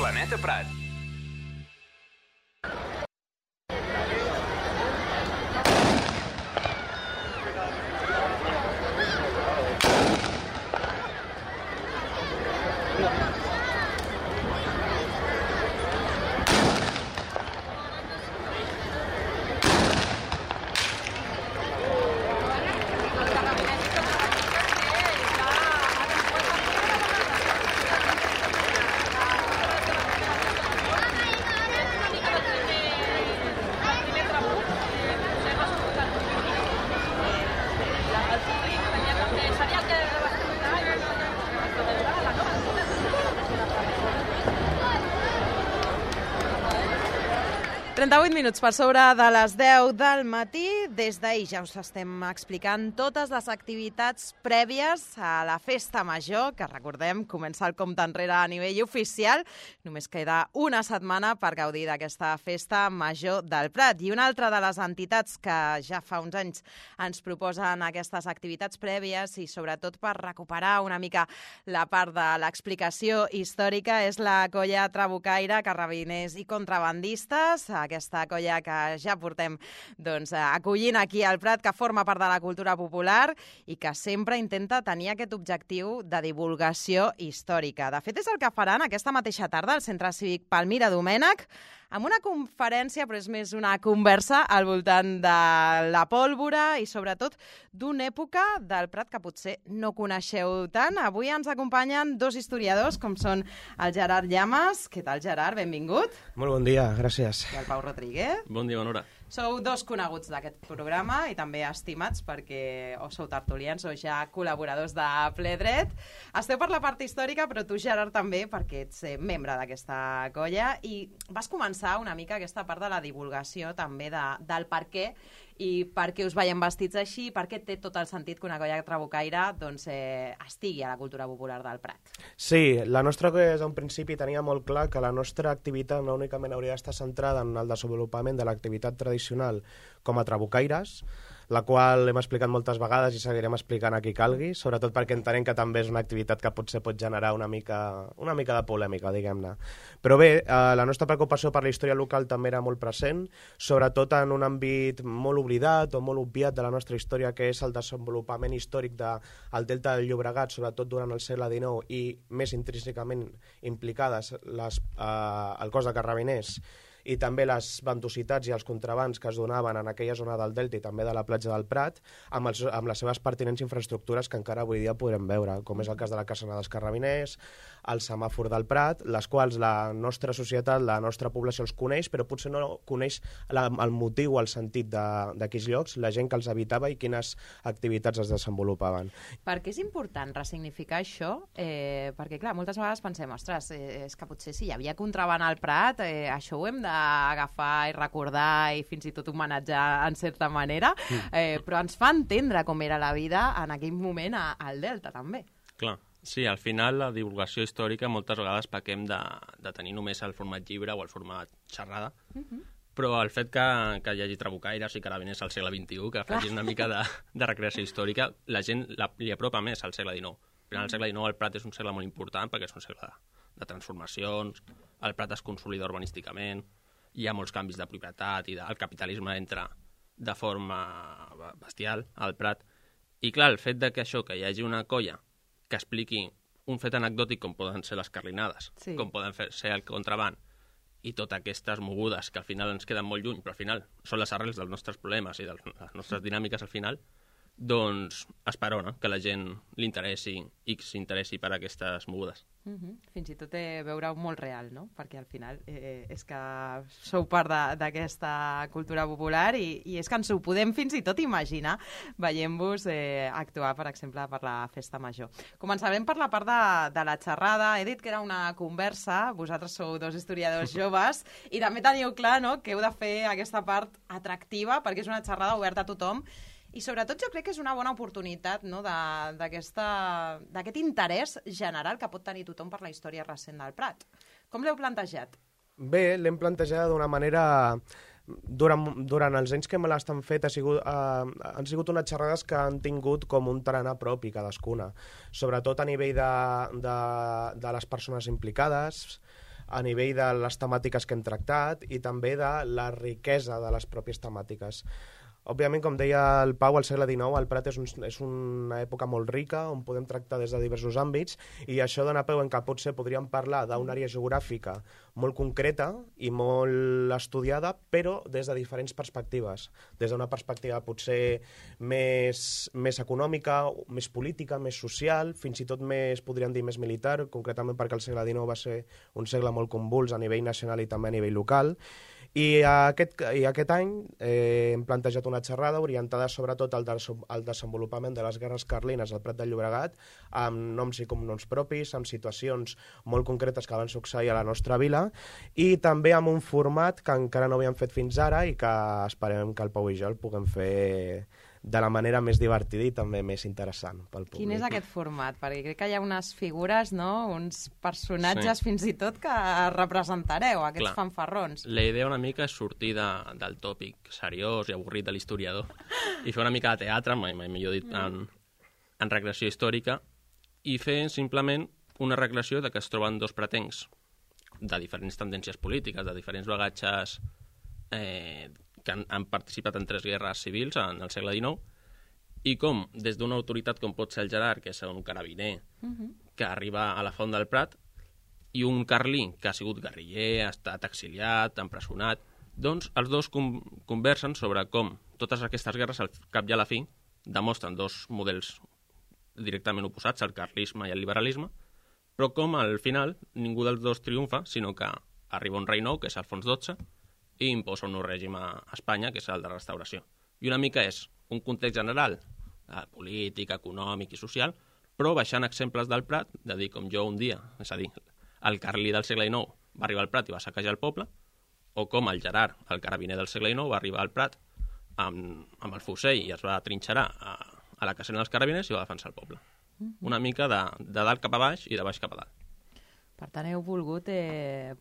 Planeta Prat. Minuts per sobre de les 10 del matí. Des d'ahir ja us estem explicant totes les activitats prèvies a la Festa Major, que recordem comença el compte enrere a nivell oficial. Només queda una setmana per gaudir d'aquesta Festa Major del Prat. I una altra de les entitats que ja fa uns anys ens proposen aquestes activitats prèvies i sobretot per recuperar una mica la part de l'explicació històrica és la colla Trabucaire, Carrabiners i Contrabandistes, aquesta colla que ja portem acollint aquí al Prat, que forma part de la cultura popular i que sempre intenta tenir aquest objectiu de divulgació històrica. De fet, és el que faran aquesta mateixa tarda al Centre Cívic Palmira Domènech, amb una conferència, però és més una conversa al voltant de la pólvora i sobretot d'una època del Prat que potser no coneixeu tant. Avui ens acompanyen dos historiadors, com són el Gerard Llamas. Què tal, Gerard? Benvingut. Molt bon dia, gràcies. I el Pau Rodríguez. Bon dia, bona hora. Sou dos coneguts d'aquest programa i també estimats perquè o sou tertulians o ja col·laboradors de Ple Dret. Esteu per la part històrica, però tu, Gerard, també, perquè ets membre d'aquesta colla i vas començar una mica aquesta part de la divulgació també del per què i per què us veiem vestits així, per què té tot el sentit que una colla trabucaire estigui a la cultura popular del Prat. Sí, la nostra colla des d'un principi tenia molt clar que la nostra activitat no únicament hauria d'estar centrada en el desenvolupament de l'activitat tradicional com a trabucaires, la qual hem explicat moltes vegades i seguirem explicant a qui calgui, sobretot perquè entenem que també és una activitat que potser pot generar una mica de polèmica, diguem-ne. Però bé, la nostra preocupació per la història local també era molt present, sobretot en un àmbit molt oblidat o molt obviat de la nostra història, que és el desenvolupament històric del Delta del Llobregat, sobretot durant el segle XIX, i més intrínsecament implicades el cos de Carrabiners i també les ventositats i els contrabands que es donaven en aquella zona del Delta i també de la platja del Prat, amb les seves pertinents infraestructures que encara avui dia podrem veure, com és el cas de la Casana dels Carrabiners, el semàfor del Prat, les quals la nostra societat, la nostra població els coneix, però potser no coneix el motiu o el sentit d'aquells llocs, la gent que els habitava i quines activitats es desenvolupaven. Per què és important ressignificar això? Perquè, clar, moltes vegades pensem, ostres, és que potser si hi havia contraban al Prat, això ho hem d'agafar i recordar i fins i tot homenatjar en certa manera, però ens fa entendre com era la vida en aquell moment al Delta, també. Clar. Sí, al final la divulgació històrica moltes vegades pequem de tenir només el format llibre o el format xerrada, però el fet que hi hagi trabucaires i carabiners al segle XXI, que facin una mica de recreació històrica, la gent li apropa més al segle XIX. Al segle XIX el Prat és un segle molt important perquè és un segle de transformacions, el Prat es consolida urbanísticament, hi ha molts canvis de propietat i el capitalisme entra de forma bestial al Prat. I clar, el fet que hi hagi una colla que expliqui un fet anecdòtic com poden ser les carlinades, sí, com poden ser el contraband i totes aquestes mogudes que al final ens queden molt lluny, però al final són les arrels dels nostres problemes i de les nostres dinàmiques al final, doncs esperona que la gent li interessi i s'interessi per aquestes mogudes. Fins i tot veure-ho molt real, no? Perquè al final és que sou part d'aquesta cultura popular i és que ens ho podem fins i tot imaginar veient-vos actuar, per exemple, per la Festa Major. Començarem per la part de la xerrada. He dit que era una conversa, vosaltres sou dos historiadors joves i també teniu clar, no?, que heu de fer aquesta part atractiva perquè és una xerrada oberta a tothom. I sobretot jo crec que és una bona oportunitat, no?, d'aquest interès general que pot tenir tothom per la història recent del Prat. Com l'heu plantejat? Bé, l'hem plantejat d'una manera... Durant els anys que me l'estan fet han sigut unes xerrades que han tingut com un tarannà propi cadascuna, sobretot a nivell de les persones implicades, a nivell de les temàtiques que hem tractat i també de la riquesa de les pròpies temàtiques. Òbviament, com deia el Pau, al segle XIX el Prat és una època molt rica on podem tractar des de diversos àmbits i això dona peu en què potser podríem parlar d'una àrea geogràfica molt concreta i molt estudiada, però des de diferents perspectives. Des d'una perspectiva potser més econòmica, més política, més social, fins i tot més, podríem dir, més militar, concretament perquè el segle XIX va ser un segle molt convuls a nivell nacional i també a nivell local. I aquest any hem plantejat una xerrada orientada sobretot al desenvolupament de les guerres carlines al Prat de Llobregat, amb noms i cognoms propis, amb situacions molt concretes que van succeir a la nostra vila, i també amb un format que encara no havíem fet fins ara i que esperem que el Pau i jo el puguem fer de la manera més divertida i també més interessant pel públic. Quin és aquest format? Perquè crec que hi ha unes figures, no? Uns personatges fins i tot que representareu, aquests fanfarrons. La idea una mica és sortir del tòpic seriós i avorrit de l'historiador i fer una mica de teatre, mai millor dit, en recreació històrica, i fer simplement una recreació de que es troben dos pratencs de diferents tendències polítiques, de diferents bagatges que han participat en 3 guerres civils en el segle XIX, i com, des d'una autoritat com pot ser el Gerard, que és un carabiner, que arriba a la Font del Prat, i un carlí que ha sigut guerriller, ha estat exiliat, empresonat, doncs els dos conversen sobre com totes aquestes guerres, al cap i a la fi, demostren dos models directament oposats, el carlisme i el liberalisme, però com al final ningú dels dos triomfa, sinó que arriba un rei nou, que és Alfons XII, i imposa un nou règim a Espanya, que és el de restauració. I una mica és un context general, polític, econòmic i social, però baixant exemples del Prat, de dir com jo un dia, és a dir, el carlí del segle XIX va arribar al Prat i va saquejar el poble, o com el Gerard, el carabiner del segle XIX, va arribar al Prat amb el fusell i es va trinxerar a la casena dels carabiners i va defensar el poble. Una mica de dalt cap a baix i de baix cap a dalt. Per tant, heu volgut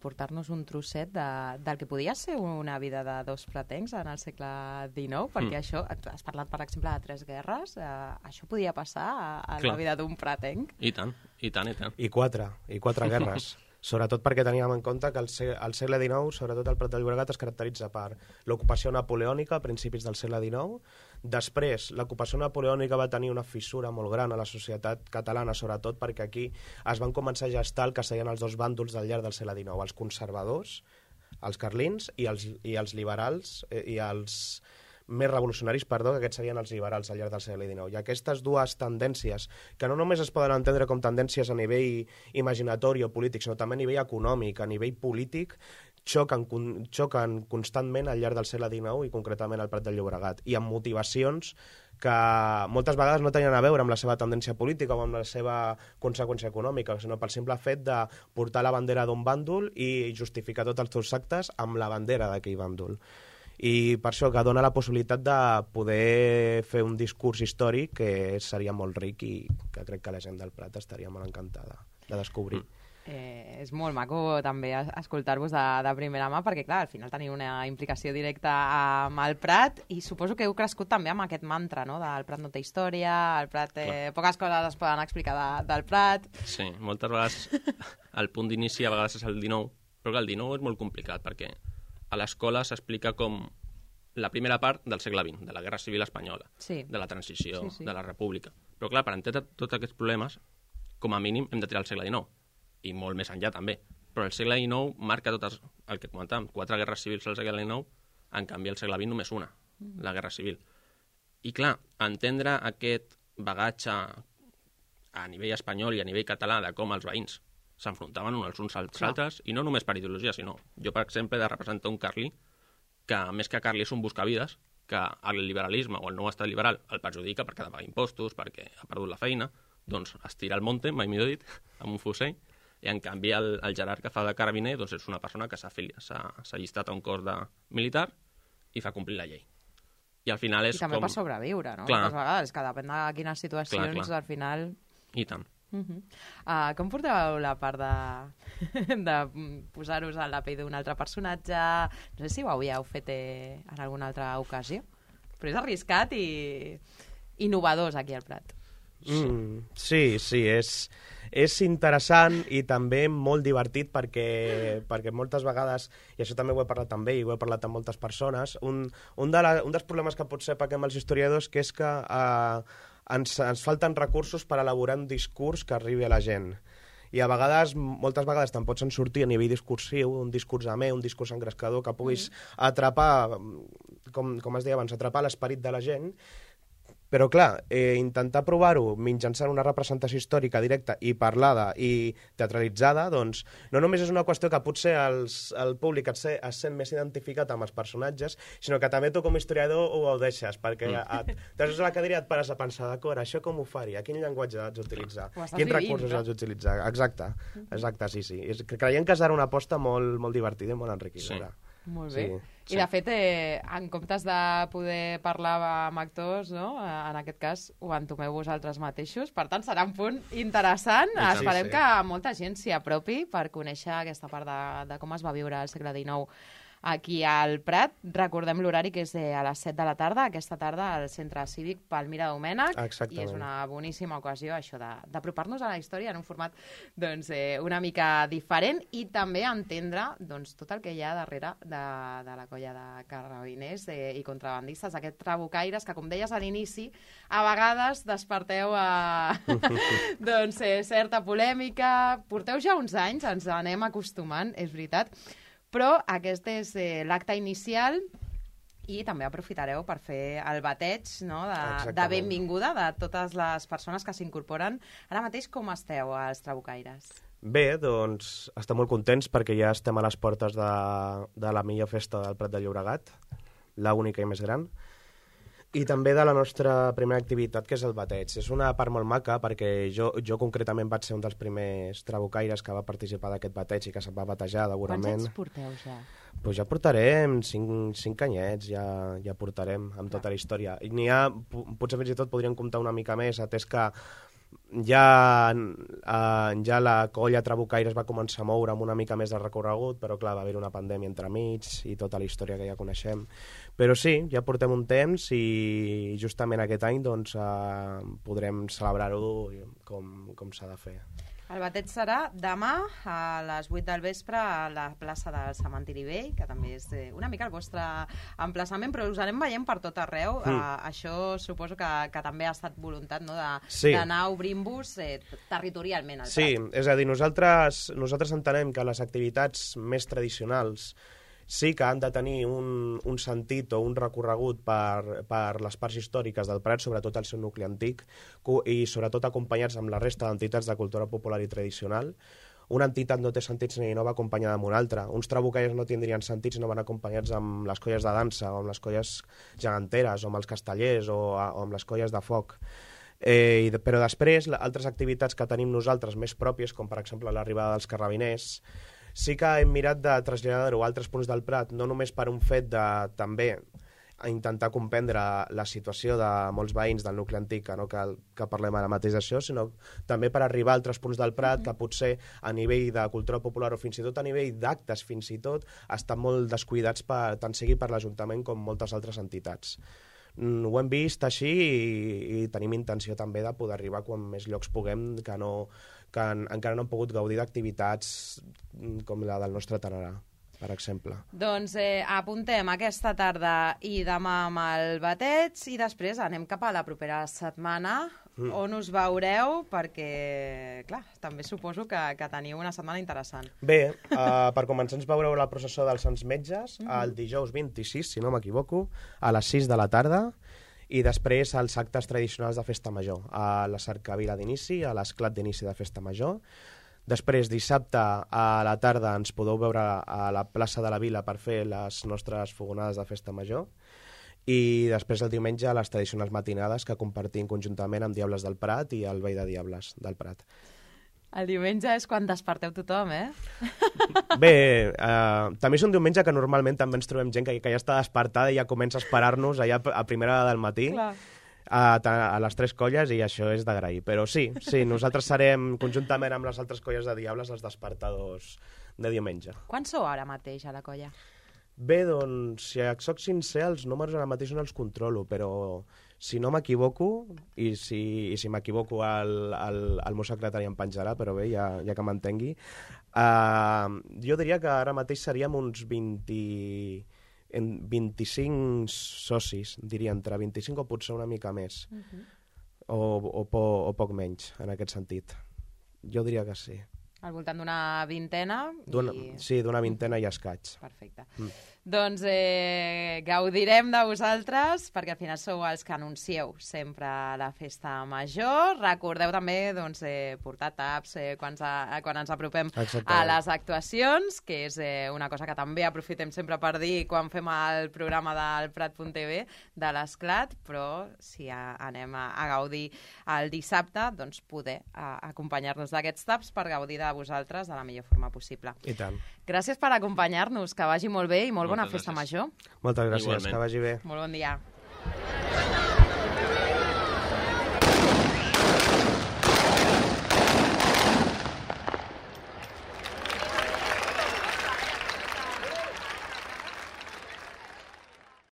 portar-nos un trosset del que podia ser una vida de dos pratencs en el segle XIX, perquè això, has parlat, per exemple, de 3 guerres, això podia passar a la vida d'un pratenc? I tant, i tant, i tant. I 4 guerres. Sobretot perquè teníem en compte que al segle XIX, sobretot el Prat de Llobregat, es caracteritza per l'ocupació napoleònica a principis del segle XIX. Després, l'ocupació napoleònica va tenir una fissura molt gran a la societat catalana, sobretot perquè aquí es van començar a gestar el que serien els dos bàndols del llarg del segle XIX, els conservadors, els carlins, i els liberals, i els més revolucionaris, que aquests serien els liberals al llarg del segle XIX. I aquestes dues tendències, que no només es poden entendre com tendències a nivell imaginatori o polític, sinó també a nivell econòmic, a nivell polític, xoquen constantment al llarg del segle XIX i concretament al Prat de Llobregat, i amb motivacions que moltes vegades no tenien a veure amb la seva tendència política o amb la seva conseqüència econòmica, sinó pel simple fet de portar la bandera d'un bàndol i justificar tots els seus actes amb la bandera d'aquell bàndol. I per això que dona la possibilitat de poder fer un discurs històric que seria molt ric i que crec que la gent del Prat estaria molt encantada de descobrir. És molt maco també escoltar-vos de primera mà perquè, clar, al final teniu una implicació directa amb el Prat i suposo que heu crescut també amb aquest mantra, no?, del Prat no té història, el Prat poques coses es poden explicar del Prat. Sí, moltes vegades el punt d'inici a vegades és el 19, però el 19 és molt complicat perquè a l'escola s'explica com la primera part del segle XX, de la Guerra Civil Espanyola, de la transició, de la República. Però clar, per entendre tots aquests problemes, com a mínim hem de tirar el segle XIX, i molt més enllà també. Però el segle XIX marca totes, el que comentàvem, 4 guerres civils al segle XIX, en canvi al segle XX només una, la Guerra Civil. I clar, entendre aquest bagatge a nivell espanyol i a nivell català de com els veïns s'enfrontaven uns als altres, i no només per ideologia, sinó jo, per exemple, he de representar un carlí que, més que carlí, és un buscavides, que el liberalisme o el nou estat liberal el perjudica perquè ha de pagar impostos, perquè ha perdut la feina, doncs es tira al monte, mai millor dit, amb un fusell, i en canvi el Gerard que fa de carabiner doncs és una persona que s'ha allistat a un cos militar i fa complir la llei. I al final és I també com... per sobreviure, no? Clar. Moltes vegades, que depèn de quines situacions, clar. Al final... I tant. Com porteu la part de posar-vos a la pell d'un altre personatge? No sé si ho havíeu fet en alguna altra ocasió, però és arriscat i innovadors aquí al Prat. Sí, és interessant i també molt divertit perquè moltes vegades, i això també ho he parlat amb ell, ho he parlat amb moltes persones, un dels problemes que potser paguem els historiadors que és que ens falten recursos per elaborar un discurs que arribi a la gent. I a vegades, moltes vegades te'n pots en sortir a nivell discursiu, un discurs amè, un discurs engrescador, que puguis atrapar, com es deia abans, atrapar l'esperit de la gent. Però, clar, intentar provar-ho mitjançant una representació històrica directa i parlada i teatralitzada, doncs, no només és una qüestió que potser el públic es sent més identificat amb els personatges, sinó que també tu com a historiador ho deixes, perquè t'has a la cadira i et pares a pensar, d'acord, això com ho faria? Quin llenguatge haig d'utilitzar? Quins recursos haig d'utilitzar? Exacte, sí. Creiem que serà una aposta molt, molt divertida i molt enriquidora. Sí. Molt bé. I de fet, en comptes de poder parlar amb actors, no? En aquest cas ho entomeu vosaltres mateixos, per tant serà un punt interessant. Esperem que molta gent s'hi apropi per conèixer aquesta part de com es va viure al segle XIX aquí al Prat. Recordem l'horari, que és a les 7 de la tarda, aquesta tarda al Centre Cívic Palmira Domènech. Exactament. I és una boníssima ocasió, això, d'apropar-nos a la història en un format una mica diferent i també entendre tot el que hi ha darrere de la colla de carabiners i contrabandistes, aquests trabucaires que, com deies a l'inici, a vegades desperteu certa polèmica. Porteu ja uns anys, ens anem acostumant, és veritat, però aquest és l'acte inicial i també aprofitareu per fer el bateig, no, de benvinguda de totes les persones que s'incorporen. Ara mateix com esteu, els trabucaires? Bé, doncs estem molt contents perquè ja estem a les portes de la millor festa del Prat de Llobregat, la única i més gran, i també de la nostra primera activitat, que és el bateig. És una part molt maca perquè jo concretament vaig ser un dels primers trabucaires que va participar d'aquest bateig i que se'n va batejar degudament. Quants anys porteu ja? Pues ja portarem 5 anyets, ja portarem amb tota la història. I potser fins i tot podríem comptar una mica més, atès que ja la colla trabucaire es va començar a moure amb una mica més de recorregut, però clar, va haver una pandèmia entremig i tota la història que ja coneixem. Però sí, ja portem un temps i justament aquest any doncs, podrem celebrar-ho com s'ha de fer. El bateig serà demà a les 8 del vespre a la plaça del Cementiri Vell, que també és una mica el vostre emplaçament, però us anem veient per tot arreu. Això suposo que també ha estat voluntat, no, d'anar obrint-vos territorialment al Prat. Sí, és a dir, nosaltres entenem que les activitats més tradicionals sí que han de tenir un sentit o un recorregut per les parts històriques del Prat, sobretot el seu nucli antic, i sobretot acompanyats amb la resta d'entitats de cultura popular i tradicional. Una entitat no té sentit si no va acompanyada amb una altra. Uns trabucaires no tindrien sentit si no van acompanyats amb les colles de dansa, o amb les colles geganteres, o amb els castellers, o amb les colles de foc. Però després, altres activitats que tenim nosaltres més pròpies, com per exemple l'arribada dels carabiners, sí que hem mirat de traslladar-ho a altres punts del Prat, no només per un fet de també intentar comprendre la situació de molts veïns del nucli antic, que parlem ara mateix d'això, sinó també per arribar a altres punts del Prat que potser a nivell de cultura popular o fins i tot a nivell d'actes, fins i tot, estan molt descuidats tant sigui per l'Ajuntament com moltes altres entitats. Ho hem vist així i tenim intenció també de poder arribar quan més llocs puguem que encara no han pogut gaudir d'activitats com la del nostre Tararà, per exemple. Doncs apuntem aquesta tarda i demà amb el bateig i després anem cap a la propera setmana on us veureu perquè, clar, també suposo que teniu una setmana interessant. Bé, per començar ens veureu la processó dels Sants Metges el dijous 26, si no m'equivoco, a les 6 de la tarda, i després els actes tradicionals de Festa Major, a la cercavila d'inici, a l'esclat d'inici de Festa Major. Després, dissabte a la tarda ens podeu veure a la plaça de la Vila per fer les nostres fogonades de Festa Major, i després el diumenge a les tradicionals matinades que compartim conjuntament amb Diables del Prat i el Vell de Diables del Prat. El diumenge és quan desperteu tothom, Bé, també és un diumenge que normalment també ens trobem gent que ja està despertada i ja comença a esperar-nos allà a primera hora del matí. Clar. A les 3 colles, i això és d'agrair. Però sí, nosaltres serem conjuntament amb les altres colles de Diables els despertadors de diumenge. Quants sou ara mateix a la colla? Bé, doncs, si soc sincer, els números ara mateix no els controlo, però Si no m'equivoco, i si m'equivoco el meu secretari em penjarà, però bé, ja que m'entengui, jo diria que ara mateix seríem uns 25 socis, diria, entre 25 o potser una mica més, o poc menys, en aquest sentit. Jo diria que sí. Al voltant d'una vintena. Sí, d'una vintena i escaig. Perfecte. Doncs gaudirem de vosaltres, perquè al final sou els que anuncieu sempre la festa major. Recordeu també portar taps quan ens apropem a les actuacions, que és una cosa que també aprofitem sempre per dir quan fem el programa del Prat.tv de l'Esclat, però si anem a gaudir el dissabte, doncs poder acompanyar-nos d'aquests taps per gaudir de vosaltres de la millor forma possible. I tant. Gràcies per acompanyar-nos, que vagi molt bé i molt bona festa major. Moltes gràcies, Igualment. que vagi bé. Molt bon dia.